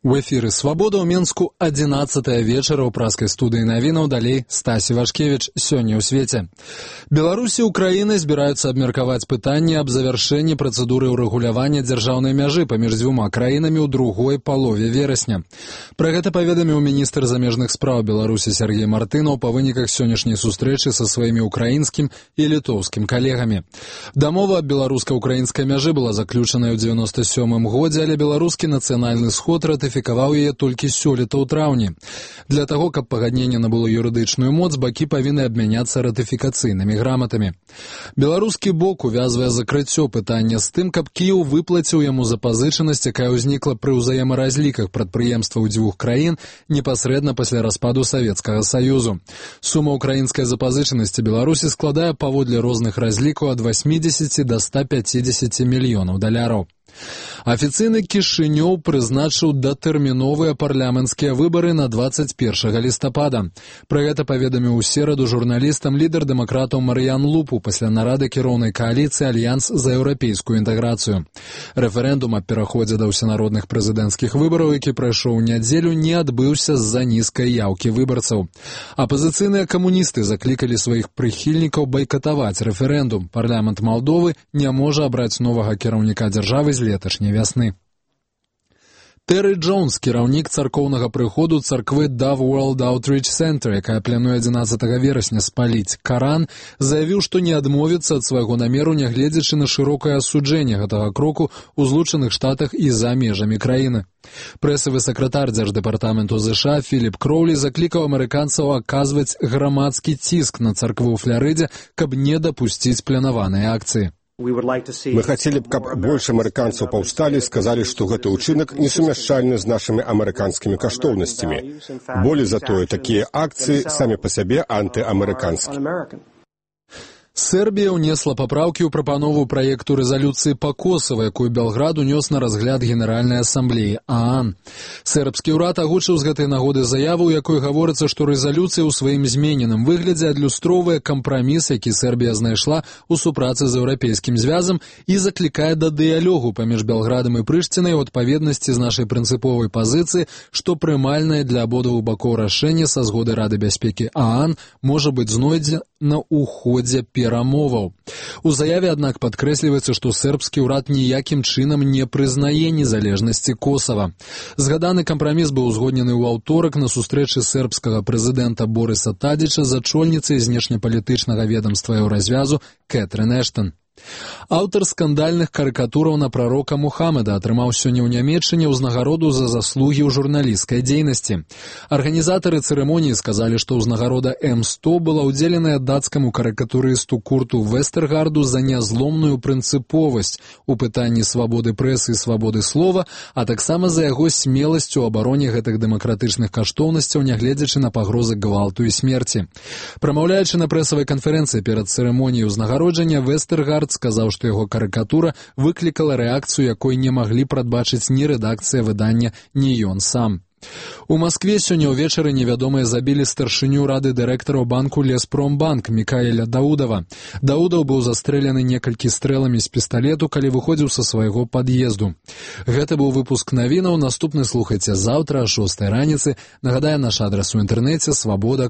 У эфіры «Свабода» ў Менску 11-я вечара ў праскай студыі навінаў, далей Стасі Вашкевіч. Сёння ў свеце. Беларусі і Украіны збіраюцца абмеркаваць пытанне аб завяршэнні працэдуры ўрэгулявання дзяржаўнай мяжы паміж дзвюма краінамі ў другой палове верасня. Пра гэта паведаміў міністр замежных спраў Беларусі Сергей Мартынаў па выніках сённяшняй сустрэчы са сваімі украінскім і літоўскім калегамі. Дамова аб беларуска-украінскай мяжы была заключаная ў 97-м годзе, але беларускі нацыянальны сход ратыфікаваў яе толькі сёлета ў траўні. Для таго, каб пагадненне набыло юрыдычную моц, бакі павінны абмяняцца ратыфікацыйнымі граматамі. Беларускі бок увязвае закрыццё пытання з тым, каб Кіеў выплаціў яму запазычанасць, якая ўзнікла пры ўзаемаразліках прадпрыемстваў дзвюх краін непасрэдна пасля распаду Савецкага Саюзу. Сума украінскай запазычанасці Беларусі складае паводле розных разлікаў ад 80 до 150 мільёнаў даляраў. Афіцыйны Кішынёў прызначыў датэрміновыя парламенцкія выбары на 21 лістапада. Пра гэта паведаміў у сераду журналістам лідар дэмакратаў Марыян Лупу пасля нарады кіроўнай кааліцыі «Альянс за еўрапейскую інтэграцыю». Рэферэндум аб пераходзе да ўсенародных прэзідэнцкіх выбараў, які прайшоў у нядзелю, не адбыўся з-за нізкай яўкі выбарцаў. Апазіцыйныя камуністы заклікалі сваіх прыхільнікаў байкатаваць рэферэндум. Парламент Малдовы не можа абраць новага кіраўніка дзяржавы з леташняй вясны. Тэры Джонс, кіраўнік царкоўнага прыходу царквы Dove World Outreach Center, якая плануе 11 верасня спаліць Каран, заявіў, што не адмовіцца ад свайго намеру, нягледзячы на шырокае асуджэнне гэтага кроку ў Злучаных Штатах і за межамі краіны. Прэсавы сакратар дзярждэпартаменту США Філіп Кроулі заклікаў амерыканцаў аказваць грамадскі ціск на царкву ў Фларыдзе, каб не дапусціць планаваныя акцыі. Мы хацелі б, каб больш амерыканцаў паўсталі, сказалі, што гэты ўчынак несумяшчальны з нашымі амерыканскімі каштоўнасцямі. Болей за тое, такія акцыі самі па сябе антыамерыканскія. Сербія ўнесла папраўкі ў прапанову праекту рэзалюцыі па Косава, якую Белград унёс на разгляд Генеральнай асамблеі ААН. Сербскі ўрад агучыў з гэтай нагоды заяву, у якой гаворыцца, што рэзалюцыя ў сваім змененым выглядзе адлюстроўвае кампраміс, які Сербія знайшла ў супрацы з еўрапейскім звязам і заклікае да дыялогу паміж Белградам і Прыштінай у адпаведнасці з нашай прынцыповай пазіцыі, што прымальнае для абодвух бакоў рашэнне са згоды Рады бяспекі ААН можа быць знойдзена ў ходзе перамоваў. У заяве, аднак, падкрэсліваецца, што сербскі ўрад ніякім чынам не прызнае незалежнасці Косава. Згаданы кампраміс быў узгоднены ў аўторак на сустрэчы сербскага прэзідэнта Борыса Тадзіча з ачольніцай знешнепалітычнага ведамства Еўразвязу Кэтрын Эштон. Аўтар скандальных карыкатураў на прарока Мухаммеда атрымаў сёння ў Нямецчыне ўзнагароду за заслугі ў журналісцкай дзейнасці. Арганізатары цырымоніі сказалі, што ўзнагарода М100 была ўдзеленая дацкаму карыкатурысту Курту Вестэргарду за нязломную прынцыповасць у пытанні свабоды прэсы і свабоды слова, а таксама за яго смеласць у абароне гэтых дэмакратычных каштоўнасцяў, нягледзячы на пагрозы гвалту і смерці. Прамаўляючы на прэсавай канферэнцыі перад цырымоніяй узнагароджання, Вестэргард сказаў, што яго карыкатура выклікала рэакцыю, якой не маглі прадбачыць ні рэдакцыя выдання, ні ён сам. У Маскве сёння ўвечары невядомыя забілі старшыню рады дырэктараў банку Леспромбанк Мікаэля Даудава. Даудаў быў застрэлены некалькі стрэламі з пісталету, калі выходзіў са свайго пад'езду. Гэта быў выпуск навінаў. Наступны слухайце заўтра о 6 раніцы. Нагадаю, наш адрас у інтэрнэце свабода.